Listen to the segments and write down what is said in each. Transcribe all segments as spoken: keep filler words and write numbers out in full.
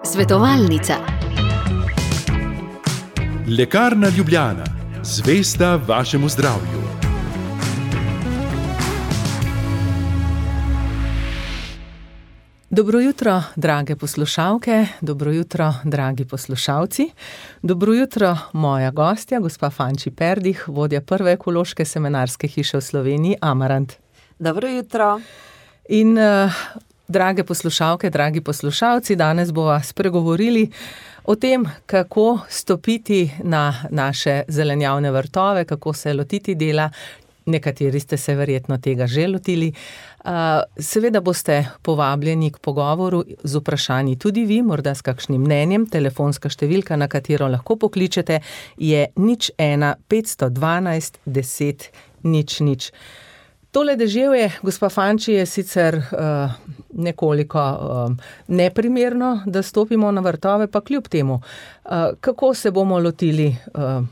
Svetovalnica. Lekarna Ljubljana, zvesta vašemu zdravju. Dobro jutro, drage poslušalke, dobro jutro, dragi poslušalci. Dobro jutro, moja gostja, gospa Fanči Perdih, vodja prve ekološke semenarske hiše v Sloveniji, Amarant. Dobro jutro. In uh, drage poslušalke, dragi poslušalci, danes bova spregovorili o tem, kako stopiti na naše zelenjavne vrtove, kako se lotiti dela. Nekateri ste se verjetno tega že lotili. Seveda boste povabljeni k pogovoru z vprašanji tudi vi, morda s kakšnim mnenjem. Telefonska številka, na katero lahko pokličete, je nič ena petsto dvanajst deset nič nič. Tole deževje, gospa Fanči, je sicer uh, nekoliko uh, neprimerno, da stopimo na vrtove, pa kljub temu. Uh, kako se bomo lotili uh,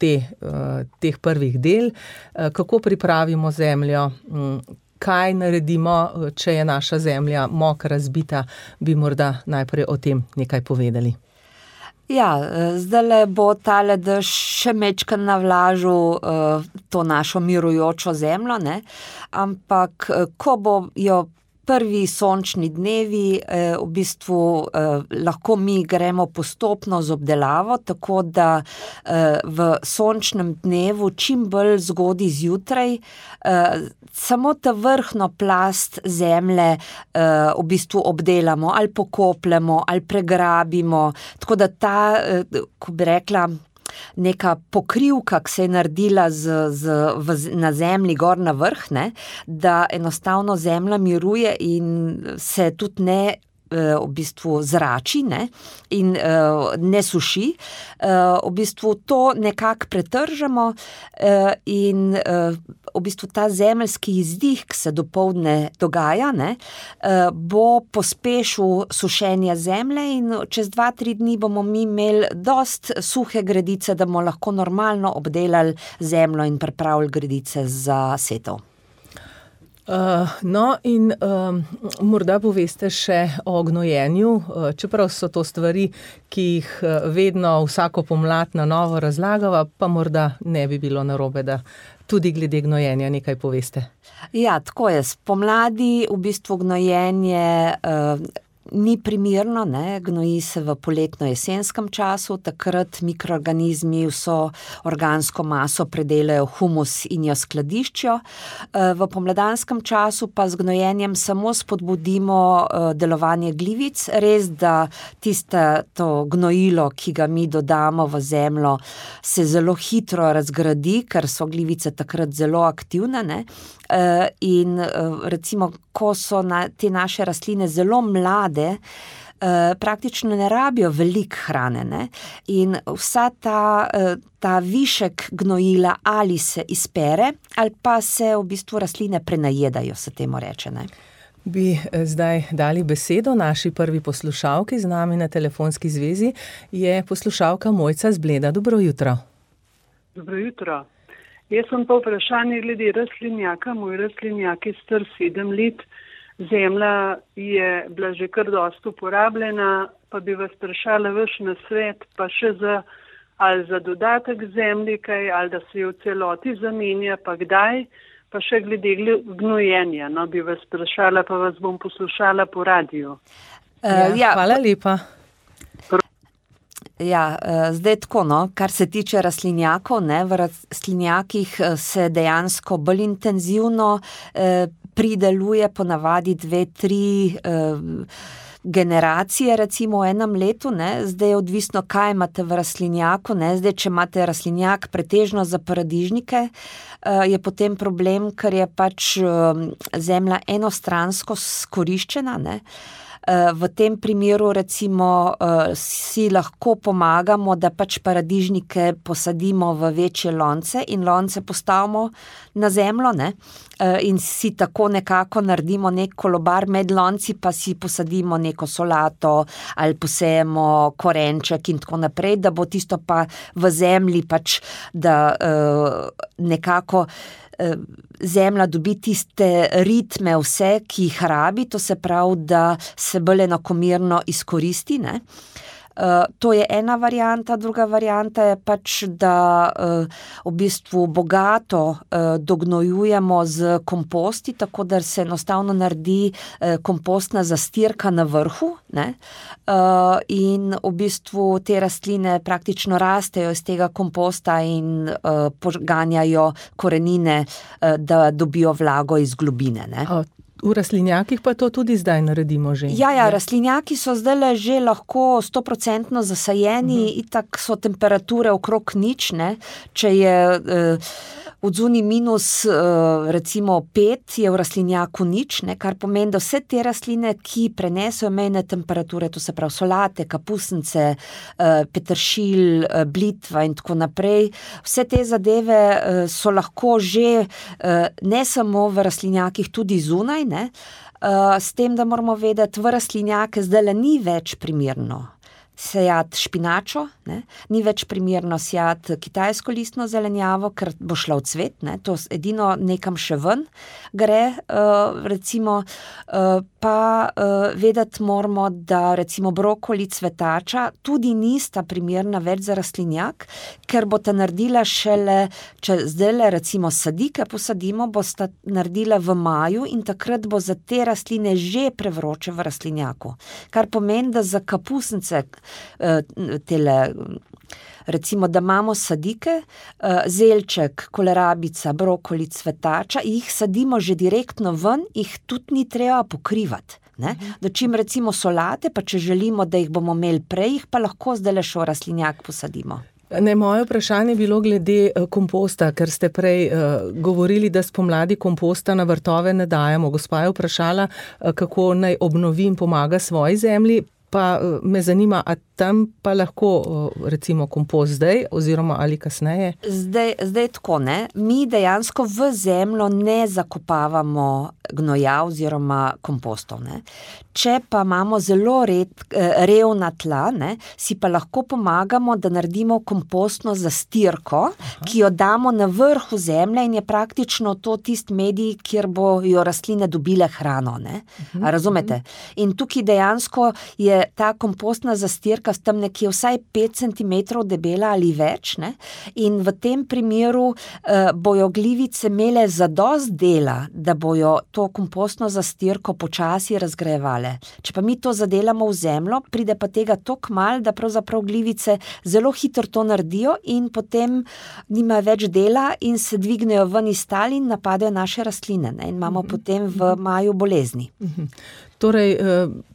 te, uh, teh prvih del, uh, kako pripravimo zemljo, um, kaj naredimo, če je naša zemlja mokra, razbita, bi morda najprej o tem nekaj povedali. Ja, zdajle bo tale dež še mečkan navlažil uh, to našo mirujočo zemljo, ne? Ampak ko bo jo prvi sončni dnevi, eh, v bistvu eh, lahko mi gremo postopno z obdelavo, tako da eh, v sončnem dnevu čim bolj zgodaj zjutraj eh, samo ta vrhno plast zemlje eh, v bistvu obdelamo ali pokopljemo ali pregrabimo, tako da ta, eh, ko bi rekla, neka pokrivka, ki se je naredila z, z, v, na zemlji gor na vrh, ne, da enostavno zemlja miruje in se tudi ne v bistvu zrači, ne, in uh, ne suši. Uh, v bistvu to nekako pretržemo uh, in uh, v bistvu ta zemeljski izdih, ki se dopoldne dogaja, ne, uh, bo pospešil sušenje zemlje in čez dva, tri dni bomo mi imeli dost suhe gredice, da bomo lahko normalno obdelali zemljo in pripravili gredice za setev. Uh, no in uh, morda poveste še o gnojenju, uh, čeprav so to stvari, ki jih uh, vedno vsako pomlad na novo razlagava, pa morda ne bi bilo narobe, da tudi glede gnojenja nekaj poveste. Ja, tako je. Spomladi v bistvu gnojenje uh, ni primerno, ne, gnoji se v poletno-jesenskem času, takrat mikroorganizmi vso organsko maso predelajo humus in jo skladiščijo. V pomladanskem času pa z gnojenjem samo spodbudimo delovanje glivic, res da tiste to gnojilo, ki ga mi dodamo v zemljo, se zelo hitro razgradi, ker so glivice takrat zelo aktivne, ne. In recimo, ko so na, te naše rastline zelo mlade, praktično ne rabijo veliko hrane, ne? In vsa ta, ta višek gnojila ali se izpere, ali pa se v bistvu rastline prenajedajo, se temu reče, ne? Bi zdaj dali besedo naši prvi poslušalki, z nami na telefonski zvezi je poslušalka Mojca z Bleda. Dobro jutro. Dobro jutro. Jaz sem pa vprašanje glede rastlinjaka. Moj rastlinjak je star sedem let. Zemlja je bila že kar dosti uporabljena, pa bi vas vprašala vaš nasvet, pa še za, ali za dodatek zemlji kaj, ali da se jo v celoti zamenja, pa kdaj, pa še glede gnojenja. No, bi vas vprašala, pa vas bom poslušala po radiju. Ja, ja. Hvala lepa. Ja, zdaj tako, no, kar se tiče rastlinjakov, ne, v rastlinjakih se dejansko bolj intenzivno eh, prideluje ponavadi dve, tri eh, generacije, recimo v enem letu, ne, zdaj je odvisno, kaj imate v rastlinjaku, ne, zdaj, če imate rastlinjak pretežno za paradižnike, eh, je potem problem, ker je pač eh, zemlja enostransko skoriščena, ne. V tem primeru recimo si lahko pomagamo, da pač paradižnike posadimo v večje lonce in lonce postavimo na zemljo, ne, in si tako nekako naredimo nek kolobar med lonci, pa si posadimo nek neko solato ali posejemo korenček in tako naprej, da bo tisto pa v zemlji pač, da uh, nekako zemlja dobi tiste ritme vse, ki jih rabi, to se pravi, da se bolj enakomerno izkoristi, ne. Uh, to je ena varianta, druga varianta je pač, da uh, v bistvu bogato uh, dognojujemo z komposti, tako da se enostavno naredi uh, kompostna zastirka na vrhu, ne? Uh, in v bistvu te rastline praktično rastejo iz tega komposta in uh, poganjajo korenine, uh, da dobijo vlago iz globine, ne. O. V rastlinjakih pa to tudi zdaj naredimo že. Ja, ja, rastlinjaki so zdaj že lahko stoprocentno zasajeni, uh-huh. itak so temperature okrog nič, ne, če je eh, odzuni minus eh, recimo pet, je v rastlinjaku nič, ne, kar pomeni, da vse te rastline, ki prenesejo mejne temperature, to se pravi solate, kapusnice, eh, peteršilj, eh, blitva in tako naprej, vse te zadeve eh, so lahko že eh, ne samo v rastlinjakih, tudi zunaj, ne, uh, s tem, da moramo vedeti, v rastlinjake zdaj ni več primerno sejati špinačo, ne? Ni več primerno sejati kitajsko listno zelenjavo, ker bo šla v cvet, ne? To edino nekam še ven gre, uh, recimo, uh, pa uh, vedeti moramo, da recimo brokoli, cvetača tudi nista primerna več za rastlinjak, ker bo ta naredila šele, če zdajle recimo sadike posadimo, bo sta naredila v maju in takrat bo za te rastline že prevroče v rastlinjaku. Kar pomeni, da za kapusnice tele, recimo, da imamo sadike, zelček, kolerabica, brokoli, cvetača, jih sadimo že direktno ven, jih tudi ni treba pokrivati. Ne? Dočim recimo solate, pa če želimo, da jih bomo imeli prej, jih pa lahko zdaj še v rastlinjak posadimo. Ne, moje vprašanje je bilo glede komposta, ker ste prej uh, govorili, da spomladi komposta na vrtove ne dajemo. Gospa je vprašala, uh, kako naj obnovi in pomaga svoji zemlji, pa uh, me zanima, a tam pa lahko uh, recimo kompost zdaj oziroma ali kasneje? Zdaj, zdaj tako, ne. Mi dejansko v zemljo ne zakopavamo gnoja oziroma kompostov, ne. Če pa imamo zelo red, revna tla, ne, si pa lahko pomagamo, da naredimo kompostno zastirko, Aha. ki jo damo na vrhu zemlje in je praktično to tist medij, kjer bojo rastline dobile hrano, ne. Uh-huh. A razumete? In tukaj dejansko je ta kompostna zastirka tam nekje vsaj pet centimetrov debela ali več, ne, in v tem primeru uh, bojo glivice imele zadost dela, da bojo to kompostno zastirko počasi razgrajevale. Če pa mi to zadelamo v zemljo, pride pa tega toliko malo, da pravzaprav glivice zelo hitro to naredijo in potem nima več dela in se dvignejo ven iz tal in napadajo naše rastline, ne, in imamo mm-hmm. potem v maju bolezni. Mm-hmm. Torej,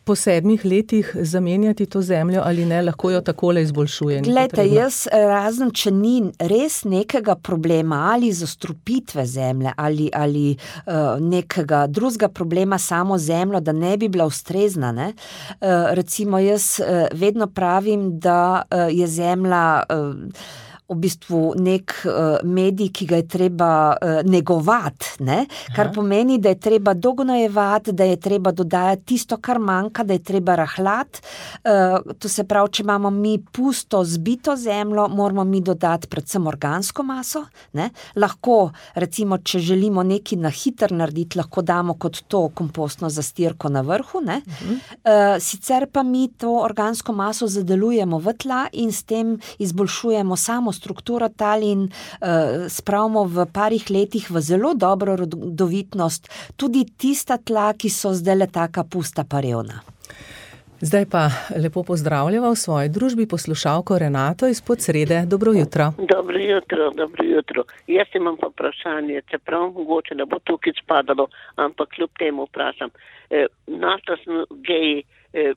po sedmih letih zamenjati to zemljo ali ne, lahko jo takole izboljšuje? Glejte, jaz razen, če ni res nekega problema ali zastrupitve zemlje ali, ali uh, nekega drugega problema samo zemljo, da ne bi bila ustrezna, ne? Uh, recimo jaz uh, vedno pravim, da uh, je zemlja uh, v bistvu nek uh, medij, ki ga je treba uh, negovati, ne? Kar Aha. pomeni, da je treba dognojevati, da je treba dodajati tisto, kar manjka, da je treba rahljati. Uh, to se pravi, če imamo mi pusto, zbito zemljo, moramo mi dodati predvsem organsko maso, ne? Lahko, recimo, če želimo nekaj na hitro narediti, lahko damo kot to kompostno zastirko na vrhu, ne? Uh-huh. Uh, sicer pa mi to organsko maso zadelujemo v tla in s tem izboljšujemo samo strukturo tal in uh, spravimo v parih letih v zelo dobro rodovitnost tudi tista tla, ki so zdaj le taka pusta pa revna. Zdaj pa lepo pozdravljava v svoji družbi poslušalko Renato iz Podsrede. Dobro jutro. Dobro jutro, dobro jutro. Jaz imam pa vprašanje, čeprav mogoče ne bo tukaj spadalo, ampak kljub temu vprašam. E, našla sem geji e,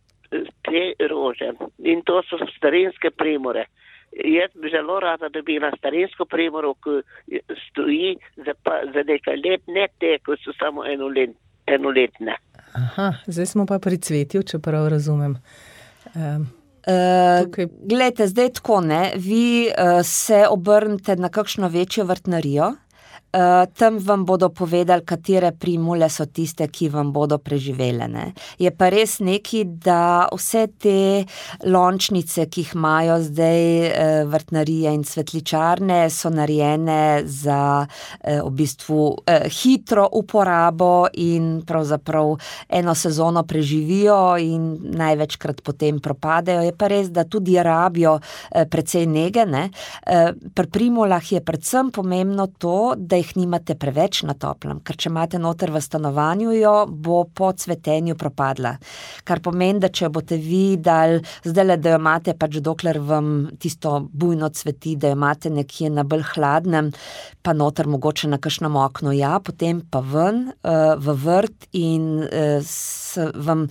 te rože in to so starinske primore. Jaz bi zelo rada dobila starinsko primoro, ki stoji za, pa, za nekaj let, ne te, ki so samo enolet, enoletne. Aha, zdaj smo pa pri cvetju, če prav razumem. Um, uh, glejte, zdaj tako, ne, vi uh, se obrnete na kakšno večjo vrtnarijo uh, tam vam bodo povedali, katere primule so tiste, ki vam bodo preživele. Ne. Je pa res neki, da vse te lončnice, ki jih imajo zdaj uh, vrtnarije in cvetličarne, so narejene za uh, v bistvu uh, hitro uporabo in pravzaprav eno sezono preživijo in največkrat potem propadejo. Je pa res, da tudi rabijo uh, precej nege. Ne. Uh, pri primulah je predvsem pomembno to, da jih nimate preveč na toplem, ker če imate noter v stanovanju, jo bo po cvetenju propadla. Kar pomeni, da če boste vi dali zdajle, da jo imate pač dokler vam tisto bujno cveti, da jo imate nekje na bolj hladnem, pa noter mogoče na kakšnem oknu, ja, potem pa ven uh, v vrt in uh, s, vam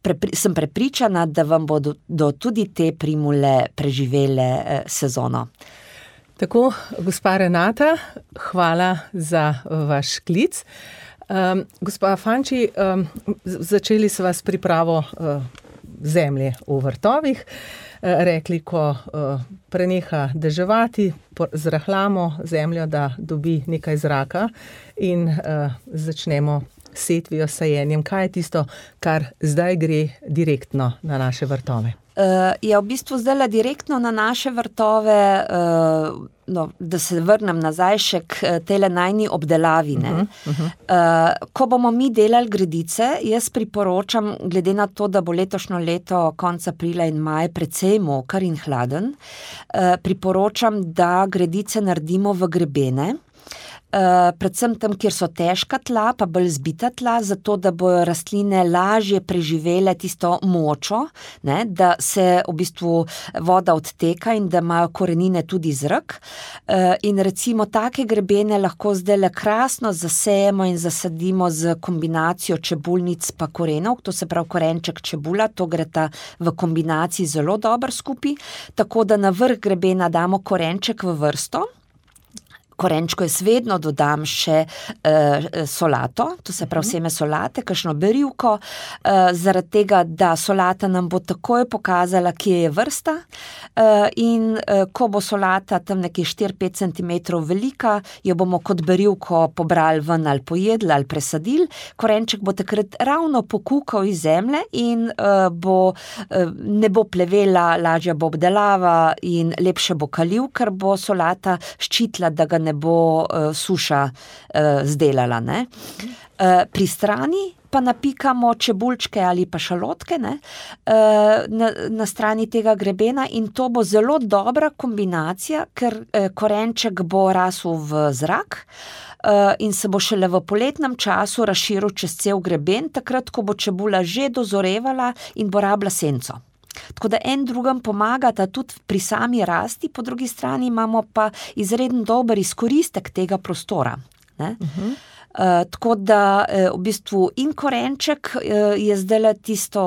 Prepri, sem prepričana, da vam bodo do tudi te primule preživele eh, sezono. Tako, gospa Renata, hvala za vaš klic. Um, gospa Fanči, um, začeli sva s pripravo uh, zemlje v vrtovih. Uh, rekli, ko uh, preneha deževati, zrahljamo zemljo, da dobi nekaj zraka in uh, začnemo setvijo, sajenjem. Kaj je tisto, kar zdaj gre direktno na naše vrtove? Uh, je v bistvu zdaj direktno na naše vrtove, uh, no, da se vrnem nazaj še k tele najni obdelavi. Ne? Uh-huh, uh-huh. Uh, ko bomo mi delali gredice, jaz priporočam, glede na to, da bo letošnjo leto konec aprila in maj precej moker in hladen, uh, priporočam, da gredice naredimo v grebene. Uh, predvsem tam, kjer so težka tla, pa bolj zbita tla, zato da bojo rastline lažje preživele tisto močo, ne, da se v bistvu voda odteka in da imajo korenine tudi zrak. Uh, in recimo take grebene lahko zdajle krasno zasejemo in zasadimo z kombinacijo čebulnic pa korenov, to se pravi korenček čebula, to greta v kombinaciji zelo dobro skupaj, tako da na vrh grebena damo korenček v vrsto. Korenčko jaz vedno dodam še uh, solato, to se pravi seme solate, kakšno berivko, uh, zaradi tega, da solata nam bo takoj pokazala, kje je vrsta uh, in uh, ko bo solata tam nekje štiri do pet centimetrov velika, jo bomo kot berivko pobrali ven ali pojedli ali presadili, korenček bo takrat ravno pokukal iz zemlje in uh, bo, uh, ne bo plevela, lažja bo obdelava in lepše bo kalil, ker bo solata ščitila, da ga ne bo uh, suša uh, zdelala. Ne? Uh, pri strani pa napikamo čebulčke ali pa šalotke, ne? Uh, na, na strani tega grebena in to bo zelo dobra kombinacija, ker uh, korenček bo rasel v zrak uh, in se bo šele v poletnem času razširil čez cel greben, takrat, ko bo čebula že dozorevala in bo rabila senco. Tako da en drugem pomagata tudi pri sami rasti, po drugi strani imamo pa izredno dober izkoristek tega prostora. Ne? Uh-huh. Uh, tako da uh, v bistvu in korenček uh, je zdajle tisto,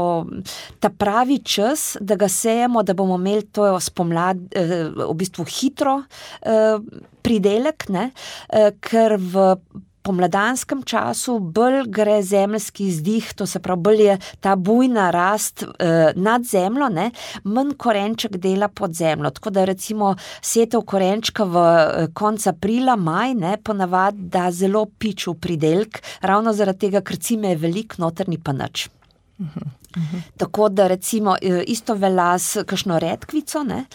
ta pravi čas, da ga sejemo, da bomo imeli to spomlad, uh, v bistvu hitro uh, pridelek, ne? Uh, ker v pomladanskem času bolj gre zemeljski izdih, to se pravi, bolj je ta bujna rast eh, nad zemljo, ne, manj korenček dela pod zemljo. Tako da recimo setev korenčka v eh, konec aprila, maj, ne, ponavadi da zelo piču pridelk, ravno zaradi tega, ker cime je velik, noter ni pa nič. Uh-huh. Uh-huh. Tako da recimo isto velja s kakšno redkvico, ne,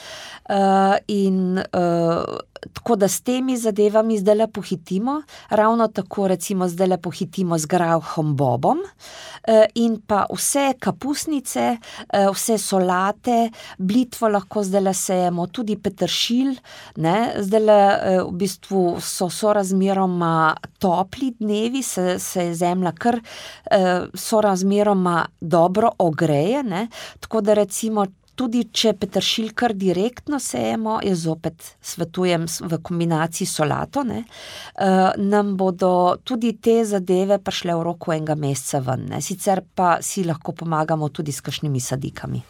uh, in uh, tako da s temi zadevami zdajle pohitimo, ravno tako recimo zdajle pohitimo z grahom bobom uh, in pa vse kapusnice, uh, vse solate, blitvo lahko zdajle sejemo, tudi peteršilj, ne, zdajle uh, v bistvu so sorazmeroma topli dnevi, se, se je zemlja kar uh, sorazmeroma dobro ogreje, ne, tako da recimo tudi če peteršilj kar direktno sejemo, jaz zopet svetujem v kombinaciji solato, ne, uh, nam bodo tudi te zadeve prišle v roku enega meseca ven, ne, sicer pa si lahko pomagamo tudi s kakšnimi sadikami.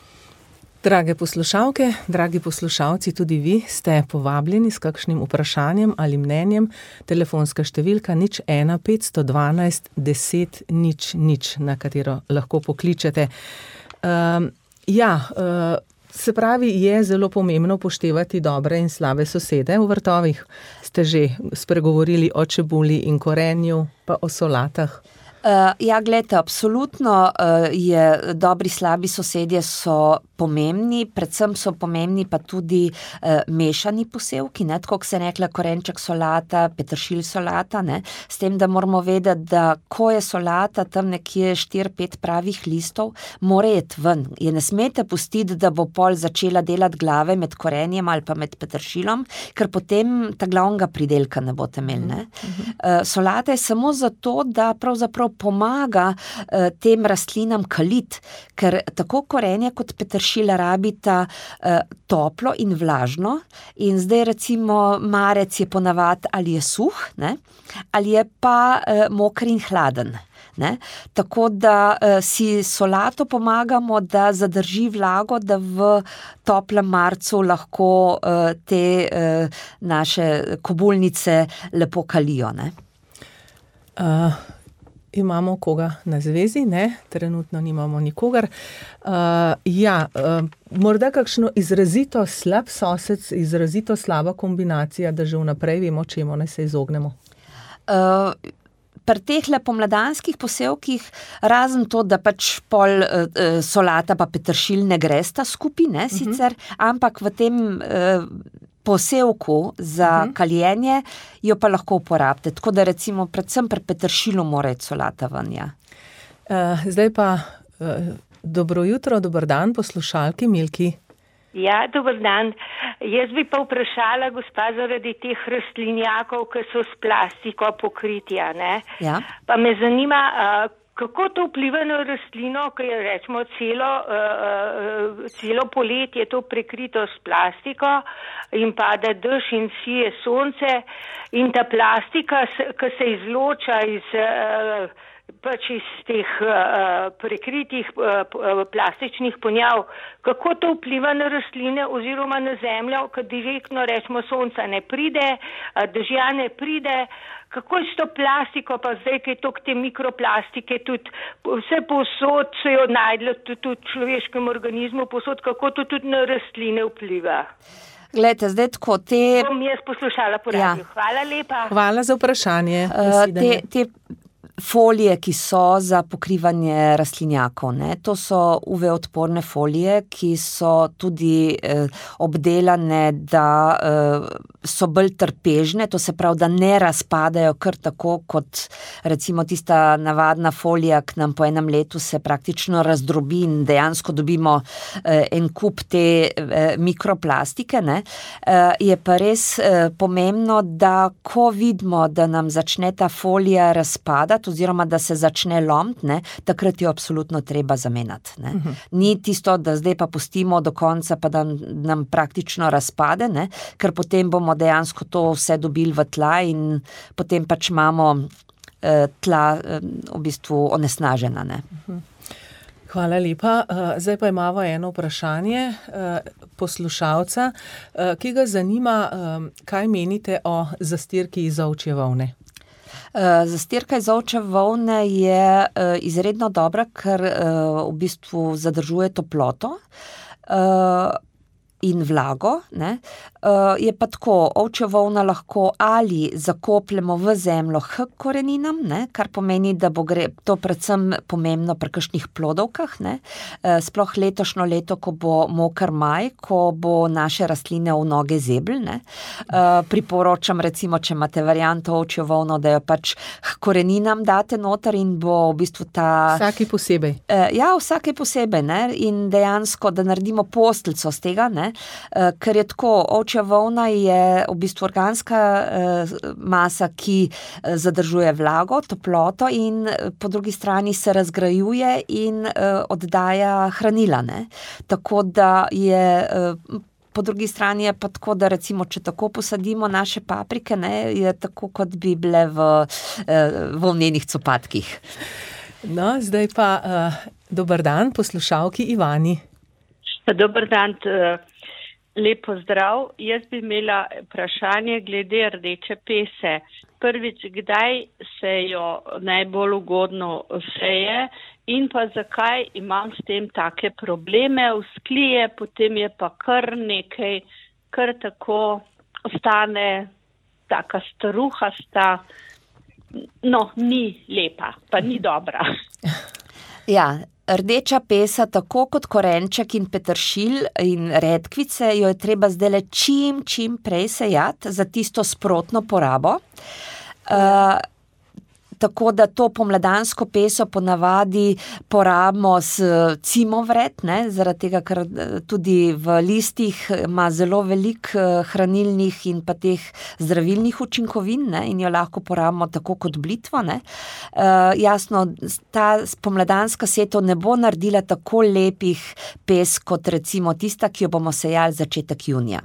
Drage poslušalke, dragi poslušalci, tudi vi ste povabljeni s kakšnim vprašanjem ali mnenjem. Telefonska številka nič ena petsto dvanajst deset nič nič, na katero lahko pokličete. Um, ja, uh, Se pravi, je zelo pomembno upoštevati dobre in slabe sosede v vrtovih. Ste že spregovorili o čebuli in korenju, pa o solatah. Uh, ja, gledajte, absolutno uh, je dobri, slabi sosedje so pomembni, predvsem so pomembni pa tudi uh, mešani posevki, ne, tako kot se rekla korenček solata, peteršilj solata, ne, s tem, da moramo vedeti, da ko je solata tam nekje štiri pet pravih listov, mora iti ven. Je ne smete pustiti, da bo pol začela delati glave med korenjem ali pa med peteršilom, ker potem ta glavnega pridelka ne boste imeli, ne. Uh, solata je samo zato, da pravzaprav pomaga uh, tem rastlinam kalit, ker tako korenje kot peteršilj rabita uh, toplo in vlažno in zdaj recimo marec je ponavad ali je suh, ne, ali je pa uh, moker in hladen. Ne? Tako da uh, si solato pomagamo, da zadrži vlago, da v toplem marcu lahko uh, te uh, naše kobulnice lepo kalijo. Ne? Uh. Imamo koga na zvezi, ne? Trenutno nimamo nikogar. Uh, ja, uh, morda kakšno izrazito slab sosed, izrazito slaba kombinacija, da že vnaprej vemo, čemu naj se izognemo. Uh, pri teh pomladanskih posevkih, razen to, da pač pol uh, solata pa peteršilj ne gresta skupaj, ne, sicer, uh-huh. ampak v tem uh, posevku za uh-huh. kaljenje jo pa lahko uporabite. Tako da recimo predvsem pri peteršilu mora iti solata ven, ja. Uh, zdaj pa uh, dobro jutro, dober dan, poslušalki Milki. Ja, dober dan. Jaz bi pa vprašala, gospa, zaradi teh rastlinjakov, ki so s plastiko pokritja, ne? Ja. Pa me zanima, uh, kako to vpliva na rastlino, ki je rečemo celo, uh, celo poletje to prekrito s plastiko in pada dež in sije sonce in ta plastika, ki se izloča iz, uh, pač iz teh uh, prekritih uh, plastičnih ponjav, kako to vpliva na rastline oziroma na zemljo, ki direktno rečemo sonca ne pride, uh, dežja ne pride. Kako je s to plastiko, pa zdaj, kaj je toliko te mikroplastike, tudi vse povsod so jo najdli, tudi, tudi v človeškem organizmu povsod, kako to tudi na rastline vpliva? Glejte, zdaj tako, te... Bom jaz poslušala po radiju. Ja. Hvala lepa. Hvala za vprašanje. Uh, te, te folije, ki so za pokrivanje rastlinjakov, ne, to so U V-odporne folije, ki so tudi eh, obdelane, da eh, so bolj trpežne, to se pravi, da ne razpadajo kar tako, kot recimo tista navadna folija, ki nam po enem letu se praktično razdrobi in dejansko dobimo eh, en kup te eh, mikroplastike, ne. Eh, je pa res eh, pomembno, da ko vidimo, da nam začne ta folija razpadati, oziroma da se začne lomiti, ne, takrat jo absolutno treba zamenjati. Ne. Uh-huh. Ni tisto, da zdaj pa pustimo do konca, pa da nam praktično razpade, ne, ker potem bomo dejansko to vse dobili v tla in potem pač imamo eh, tla eh, v bistvu onesnažena. Ne. Uh-huh. Hvala lepa. Zdaj pa imamo eno vprašanje poslušalca, ki ga zanima, kaj menite o zastirki iz ovčje volne. Zastirka iz ovčje volne je izredno dobra, ker v bistvu zadržuje toploto in vlago, ne. Je pa tako, ovčja volna lahko ali zakopljemo v zemljo h koreninam, ne, kar pomeni, da bo gre, to predvsem pomembno pri kakšnih plodovkah, ne, sploh letošnjo leto, ko bo moker maj, ko bo naše rastline v noge zebl, ne. Priporočam recimo, če imate varianto ovčjo volno, da jo pač h koreninam date noter in bo v bistvu ta... Vsaki posebej. Ja, vsaki posebej, ne, in dejansko, da naredimo postelco z tega, ne, ker je tako, ovčja volna je v bistvu organska eh, masa, ki eh, zadržuje vlago, toploto in eh, po drugi strani se razgrajuje in eh, oddaja hranila, ne. Tako da je eh, po drugi strani je pa tako, da recimo, če tako posadimo naše paprike, ne, je tako, kot bi bile v eh, volnenih copatkih. No, zdaj pa uh, dober dan, poslušalki Ivani. Dober dan, lepo zdrav. Jaz bi imela vprašanje glede rdeče pese. Prvič, kdaj se jo najbolj ugodno seje in pa zakaj imam s tem take probleme, vzklije, potem je pa kar nekaj, kar tako ostane taka staruhasta, no, ni lepa, pa ni dobra. Ja, rdeča pesa, tako kot korenček in peteršilj in redkvice, jo je treba zdajle čim, čim prej sejati za tisto sprotno porabo. Uh, Tako da to pomladansko peso ponavadi porabimo s cimovred, ne, zaradi tega, ker tudi v listih ima zelo veliko hranilnih in pa teh zdravilnih učinkovin, ne, in jo lahko porabimo tako kot blitvo, ne. Uh, jasno, ta pomladanska setev ne bo naredila tako lepih pes kot recimo tista, ki jo bomo sejali začetek junija.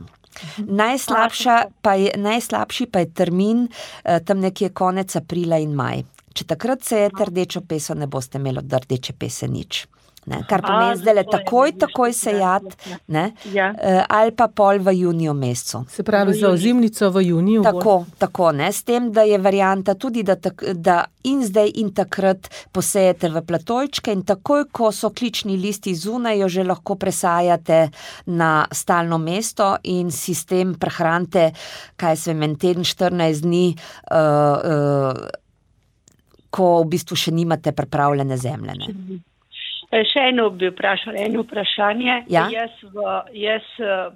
Najslabša pa je, najslabši pa je termin tam nekje konec aprila in maj. Če takrat sejete rdečo peso, ne boste imeli od rdeče pese nič. Ne, kar pomeni zdaj takoj, takoj sejati, ne, ja. Ali pa pol v juniju mesecu. Se pravi za ozimnico v juniju? Tako, tako, ne, s tem, da je varianta tudi, da, tak, da in zdaj in takrat posejete v platojčke in takoj, ko so klični listi zunaj, jo že lahko presajate na stalno mesto in si s tem prehranite, kaj se vem, teden, štirinajst dni, uh, uh, ko v bistvu še nimate pripravljene zemlje, ne. Še eno bi vprašala, eno vprašanje. Ja? Jaz, v, jaz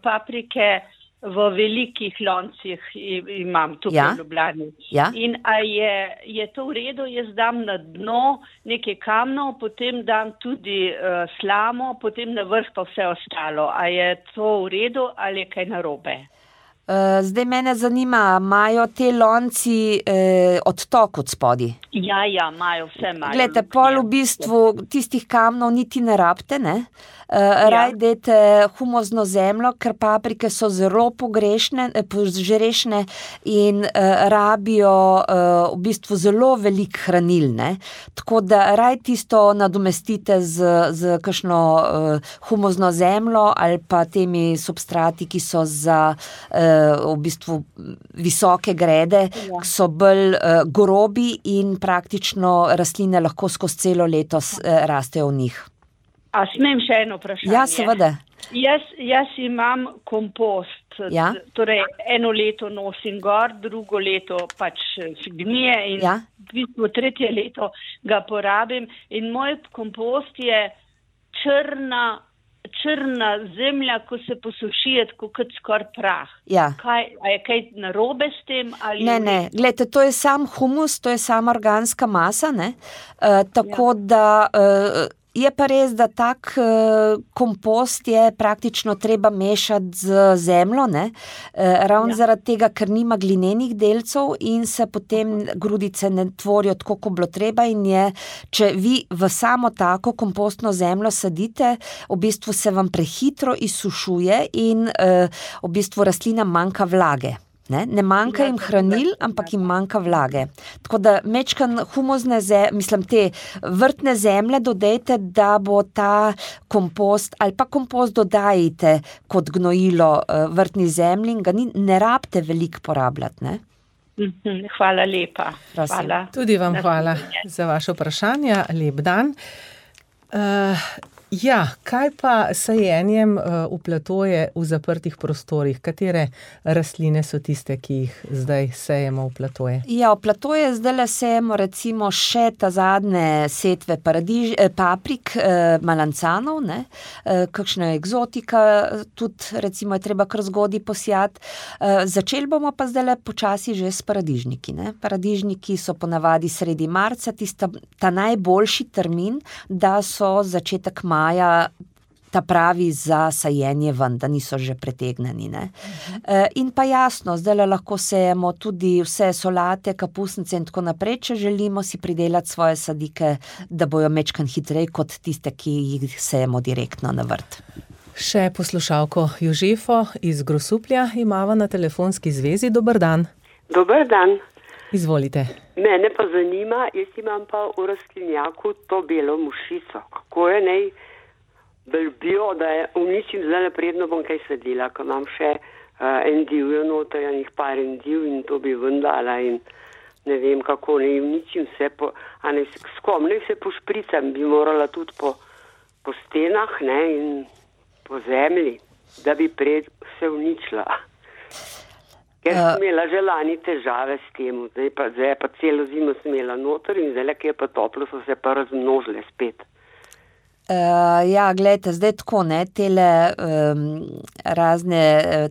paprike v velikih loncih imam tukaj ja? v Ljubljani. Ja? In a je, je to v redu, jaz dam na dno nekaj kamnov, potem dam tudi uh, slamo, potem na vrh pa vse ostalo. A je to v redu ali je kaj narobe? Zdaj mene zanima, imajo te lonci eh, odtok od spodi? Ja, ja, imajo, vse imajo. Glejte, pol v bistvu tistih kamnov niti ne rabite, ne? Uh, ja. Raj dajte humozno zemljo, ker paprike so zelo pogrešne, požrešne in uh, rabijo uh, v bistvu zelo veliko hranil, ne? Tako da raj tisto nadomestite z, z kakšno uh, humozno zemljo ali pa temi substrati, ki so za uh, v bistvu visoke grede, ja. Ki so bolj uh, grobi in praktično rastline lahko skozi celo leto uh, rastejo v njih. A smem še eno vprašanje? Ja, seveda. Jaz, jaz imam kompost, ja? Torej eno leto nosim gor, drugo leto pač gnije in ja? v bistvu tretje leto ga porabim in moj kompost je črna, črna zemlja, ko se posuši, tako kot skoraj prah. Ja. Kaj, a je kaj narobe s tem? Ali ne, ne, glejte, to je sam humus, to je sama organska masa, ne, uh, tako ja. da... Uh, Je pa res, da tak uh, kompost je praktično treba mešati z zemljo, ne? Uh, ravno ja. Zaradi tega, ker nima glinenih delcev in se potem grudice ne tvorijo tako, kot bilo treba in je, če vi v samo tako kompostno zemljo sadite, v bistvu se vam prehitro izsušuje in uh, v bistvu rastlina manjka vlage. Ne, ne manjka jim hranil, ampak jim manjka vlage. Tako da mečkan humozne zemlje, mislim te vrtne zemlje dodajte, da bo ta kompost ali pa kompost dodajte kot gnojilo vrtni zemlji in ga ni, ne rabite veliko porabljati, ne? Hvala lepa. Hvala. Tudi vam hvala za vaše vprašanje. Lep dan. Uh, Ja, kaj pa sajenjem uh, v platoje v zaprtih prostorih? Katere rastline so tiste, ki jih zdaj sejemo v platoje? Ja, v platoje zdaj sejemo recimo še ta zadnje setve paradiž, eh, paprik, eh, malancanov, ne? Eh, kakšna egzotika, tudi recimo je treba kar zgodaj posijati. Eh, začeli bomo pa zdaj počasi že s paradižniki, ne? Paradižniki so ponavadi sredi marca, tista, ta najboljši termin, da so začetek marca maja ta pravi za sajenje ven, da niso že pretegneni, ne. Uh-huh. E, in pa jasno, zdaj lahko sejemo tudi vse solate, kapusnice in tako naprej, če želimo si pridelati svoje sadike, da bojo mečkan hitreje kot tiste, ki jih sejemo direktno na vrt. Še poslušalko Jožefo iz Grosuplja imamo na telefonski zvezi. Dober dan. Dober dan. Izvolite. Mene pa zanima, jaz imam pa v rastlinjaku to belo mušico. Kako je nej belbijo, da je uničim zdaj napredno bom kaj sadila, ko imam še uh, en divjo noto, enih par en div in to bi vendala in ne vem kako, ne uničim vse, po, a ne s kom, ne vse pošpricam, bi morala tudi po, po stenah, ne, in po zemlji, da bi prej vse uničila. Ker sem imela že lani težave s tem, zdaj pa, zdaj pa celo zimo sem imela noter in zdaj, ki je pa toplo, so se pa razmnožile spet. Uh, ja, gledajte, zdaj tako, ne, tele um, razne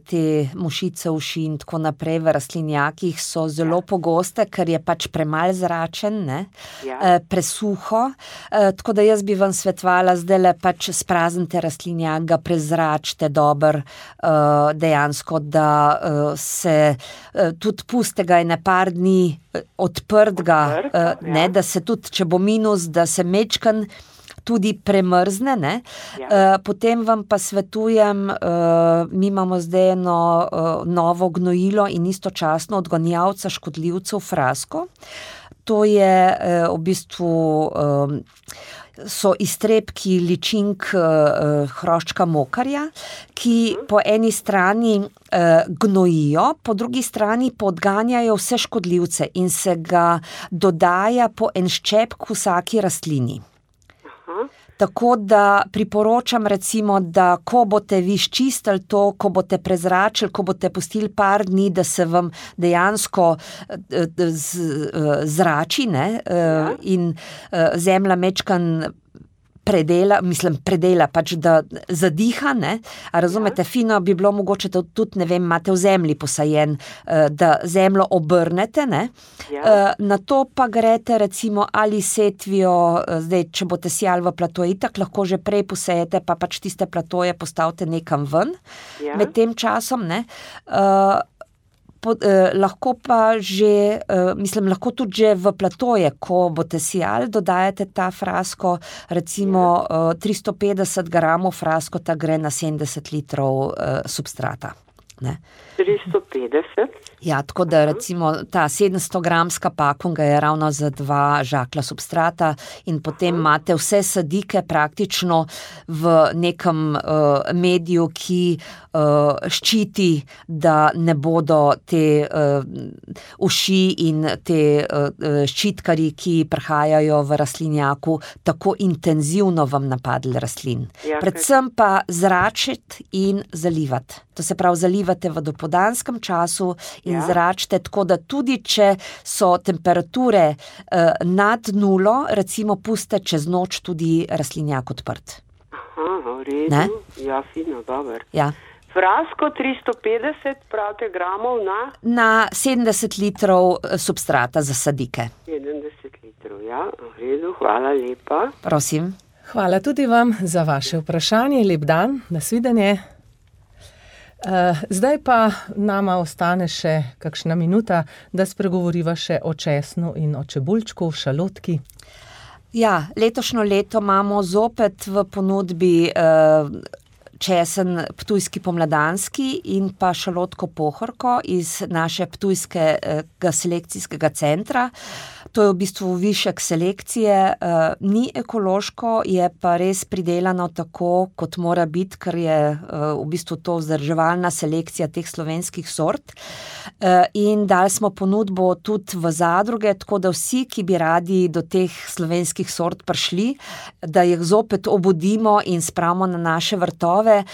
te mušice uši in tako naprej v rastlinjakih so zelo ja. pogoste, ker je pač premalj zračen, ne, ja. uh, presuho, uh, tako da jaz bi vam svetovala zdajle pač spraznite rastlinjak, ga prezračite dober, uh, dejansko, da uh, se uh, tudi puste ga ene par dni uh, odprt ga, Odprt, uh, ne, ja. da se tudi, če bo minus, da se mečkan tudi premrzne, ne. Ja. Uh, potem vam pa svetujem, uh, mi imamo zdaj eno uh, novo gnojilo in istočasno odgonjavca škodljivcev Frasko. To je uh, v bistvu um, so iztrebki ličink uh, hroščka mokarja, ki po eni strani uh, gnojijo, po drugi strani podganjajo vse škodljivce in se ga dodaja po en ščepk vsaki rastlini. Tako da priporočam recimo, da ko boste vi ščistili to, ko boste prezračili, ko boste pustili par dni, da se vam dejansko zrači, ne, ja. in zemlja mečkan predela, mislim predela, pač da zadiha, ne, a razumete, ja. fino bi bilo mogoče tudi, ne vem, imate v zemlji posajen, da zemljo obrnete, ne, ja. na to pa grete recimo ali setvijo, zdaj, če boste sijali v platoje, itak lahko že prej posejete, pa pač tiste platoje postavite nekam ven, ja. med tem časom, ne, uh, Po, eh, lahko pa že, eh, mislim, lahko tudi že v platoje, ko boste sijali, dodajate ta Frasko, recimo eh, tristo petdeset gramov Frasko, ta gre na sedemdeset litrov eh, substrata. Ne. tristo petdeset? Ja, tako da recimo ta sedemsto gramska pakunga je ravno za dva žakla substrata in potem Aha. imate vse sadike praktično v nekem uh, mediju, ki uh, ščiti, da ne bodo te uh, uši in te uh, ščitkari, ki prihajajo v rastlinjaku, tako intenzivno vam napadli rastlin. Ja, Predvsem pa zračiti in zalivati. To se pravi, zalivate v dopoldanskem času in ja. zračite, tako da tudi, če so temperature eh, nad nulo, recimo puste čez noč tudi rastlinjak odprt. Aha, v redu. Ne? Ja, fino, dober. Ja. Frasko tristo petdeset, pravite, gramov na? Na sedemdeset litrov substrata za sadike. sedemdeset litrov, ja, v redu, hvala lepa. Prosim. Hvala tudi vam za vaše vprašanje, lep dan, nasvidenje. Uh, zdaj pa nama ostane še kakšna minuta, da spregovoriva še o česnu in o čebuljčku, šalotki. Ja, letošnjo leto imamo zopet v ponudbi uh, česen ptujski pomladanski in pa šalotko pohorko iz naše ptujskega selekcijskega centra. To je v bistvu višek selekcije, uh, ni ekološko, je pa res pridelano tako, kot mora biti, ker je uh, v bistvu to vzdrževalna selekcija teh slovenskih sort. Uh, in dali smo ponudbo tudi v zadruge, tako da vsi, ki bi radi do teh slovenskih sort prišli, da jih zopet obudimo in spravimo na naše vrtove,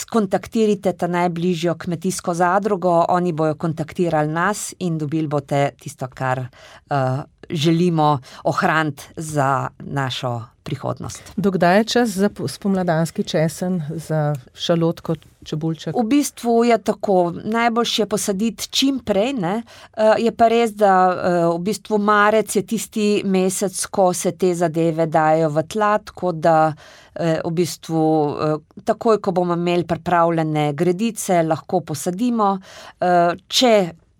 kontaktirajte ta najbližjo kmetijsko zadrugo, oni bojo kontaktirali nas in dobili boste tisto, kar uh, želimo ohraniti za našo prihodnost. Dokdaj je čas za spomladanski česen, za šalotko, čebuljček? V bistvu je tako, najboljše je posaditi čim prej, ne? Je pa res, da v bistvu marec je tisti mesec, ko se te zadeve dajo v tla, tako da v bistvu takoj, ko bomo imeli pripravljene gredice, lahko posadimo. Če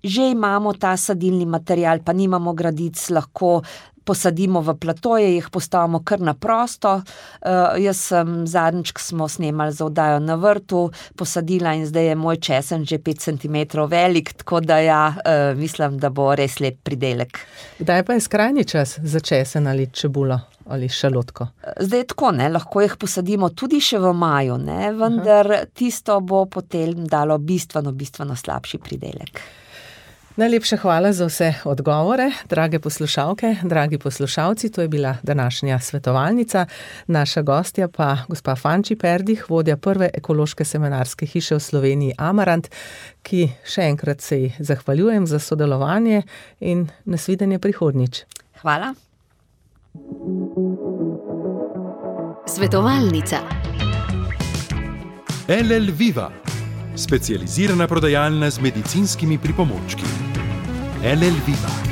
že imamo ta sadilni material, pa nimamo gradic, lahko posadimo v platoje, jih postavimo kar na prosto. Uh, jaz sem zadnjič, ko smo snemali za oddajo na vrtu, posadila in zdaj je moj česen že pet centimetrov velik, tako da ja, uh, mislim, da bo res lep pridelek. Kdaj pa je skrajni čas za česen ali čebulo ali šalotko? Zdaj tako, ne, lahko jih posadimo tudi še v maju, ne, vendar Aha. tisto bo potem dalo bistveno, bistveno slabši pridelek. Najlepša hvala za vse odgovore, drage poslušalke, dragi poslušalci, to je bila današnja svetovalnica. Naša gostja pa gospa Fanči Perdih, vodja prve ekološke seminarske hiše v Sloveniji Amarant, ki še enkrat se ji zahvaljujem za sodelovanje in nasvidenje prihodnjič. Hvala. Svetovalnica. L L Viva, specializirana prodajalna z medicinskimi pripomočki. L L Viva.